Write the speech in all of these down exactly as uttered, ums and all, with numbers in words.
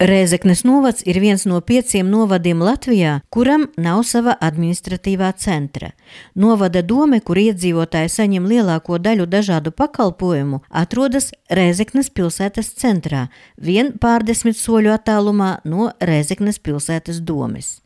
Rēzeknes novads ir viens no pieciem novadiem Latvijā, kuram nav sava administratīvā centra. Novada dome, kur iedzīvotāji saņem lielāko daļu dažādu pakalpojumu, atrodas Rēzeknes pilsētas centrā, vien pārdesmit soļu attālumā no Rēzeknes pilsētas domes.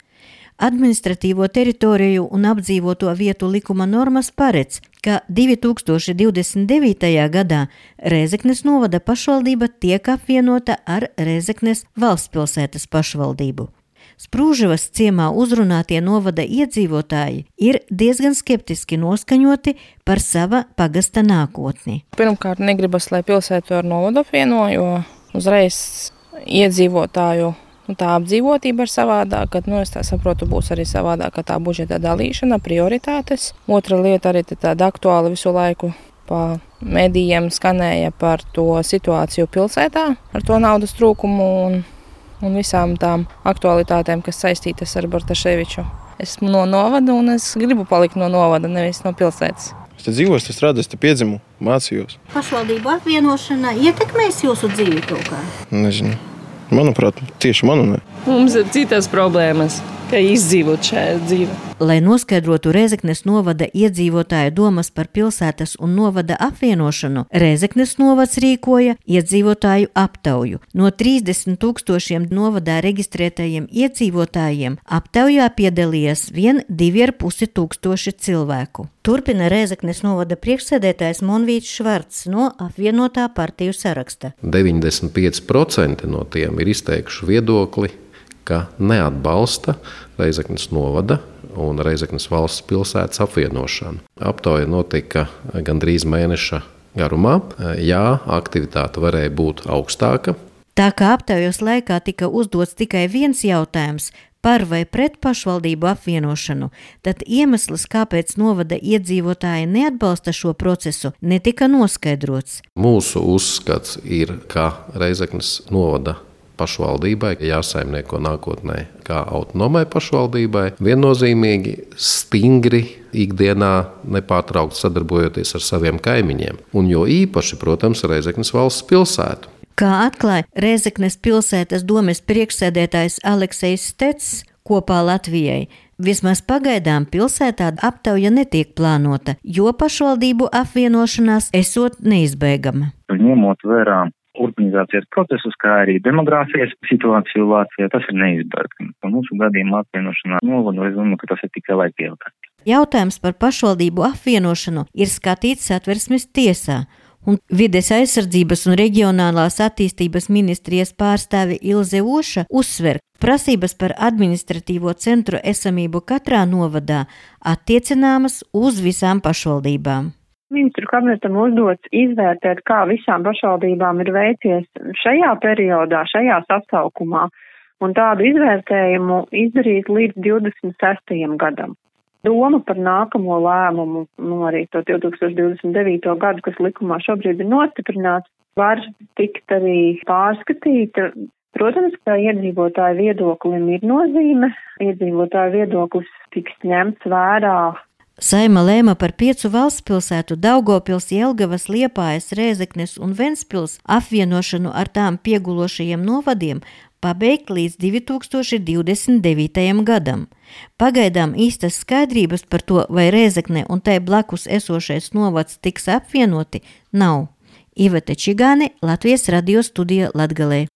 Administratīvo teritoriju un apdzīvoto vietu likuma normas paredz, ka divi tūkstoši divdesmit devītajā gadā Rēzeknes novada pašvaldība tiek apvienota ar Rēzeknes valstspilsētas pašvaldību. Sprūžavas ciemā uzrunātie novada iedzīvotāji ir diezgan skeptiski noskaņoti par sava pagasta nākotni. Pirmkārt, negribas, lai pilsētu ar novadu apvieno, jo uzreiz iedzīvotāju Nu, tā apdzīvotība ir savādāk, kad, nu, es tā saprotu, būs arī savādāk, ka tā budžeta dalīšana, prioritātes. Otra lieta arī tāda aktuāla visu laiku pa medijiem skanēja par to situāciju pilsētā, ar to naudas trūkumu un, un visām tām aktualitātēm, kas saistītas ar Bartaševiču. Esmu no novada un es gribu palikt no novada, nevis no pilsētas. Es te dzīvoju, es strādāju, es te piedzimu, mācījos. Pašvaldību apvienošana ietekmēs jūsu dzīvi kaut kā? Nezinu. Manuprāt, tieši manu ne. Mums ir citas problēmas, kā izdzīvot šajā dzīvē. Lai noskaidrotu Rēzeknes novada iedzīvotāju domas par pilsētas un novada apvienošanu, Rēzeknes novads rīkoja iedzīvotāju aptauju. No trīsdesmit tūkstošiem novadā reģistrētajiem iedzīvotājiem aptaujā piedalījās vien divi ar pusi tūkstoši cilvēku. Turpina Rēzeknes novada priekšsēdētājs Monvīts Švarcs no apvienotā partiju saraksta. deviņdesmit pieci procenti no tiem ir izteikuši viedokli, ka neatbalsta Rēzeknes novada un Rēzeknes valsts pilsētas apvienošanu. Aptauja notika gandrīz mēneša garumā. Jā, aktivitāte varēja būt augstāka. Tā kā aptaujas laikā tika uzdots tikai viens jautājums par vai pret pašvaldību apvienošanu, tad iemesls, kāpēc novada iedzīvotāji neatbalsta šo procesu, netika noskaidrots. Mūsu uzskats ir, ka Rēzeknes novada pašvaldībai jāsaimnieko nākotnē kā autonomai pašvaldībai, viennozīmīgi stingri ikdienā nepārtraukti sadarbojoties ar saviem kaimiņiem. Un jo īpaši, protams, Rēzeknes valsts pilsētu. Kā atklāja Rēzeknes pilsētas domes priekšsēdētājs Aleksejs Stets kopā Latvijai, vismaz pagaidām pilsētā aptauja netiek plānota, jo pašvaldību apvienošanās esot neizbēgama. Ņemot vērā urbanizācijas procesus, kā arī demogrāfijas situāciju Latvijā, tas ir neizbēgami. Mūsu gadījumā apvienošanā novadu, es domāju, ka tas ir tikai laika jautājums. Jautājums par pašvaldību apvienošanu ir skatīts Satversmes tiesā, un Vides aizsardzības un reģionālās attīstības ministrijas pārstāve Ilze Oša uzsver, prasības par administratīvo centru esamību katrā novadā attiecināmas uz visām pašvaldībām. Ministru kabinetam uzdots izvērtēt, kā visām pašvaldībām ir veicies šajā periodā, šajā sasaukumā, un tādu izvērtējumu izdarīt līdz divdesmit sestajam gadam. Doma par nākamo lēmumu, nu arī to divi tūkstoši divdesmit devīto gadu, kas likumā šobrīd ir nostiprināts, var tikt arī pārskatīta. Protams, ka iedzīvotāju viedoklim ir nozīme, iedzīvotāju viedoklis tiks ņemts vērā. Saeima lēma par piecu valstspilsētu Daugavpils, Jelgavas, Liepājas, Rēzeknes un Ventspils apvienošanu ar tām piegulošajiem novadiem pabeigt līdz divi tūkstoši divdesmit devītajam gadam. Pagaidām īstas skaidrības par to, vai Rēzekne un tai blakus esošais novads tiks apvienoti, nav. Iveta Čigāne, Latvijas radio studija Latgalē.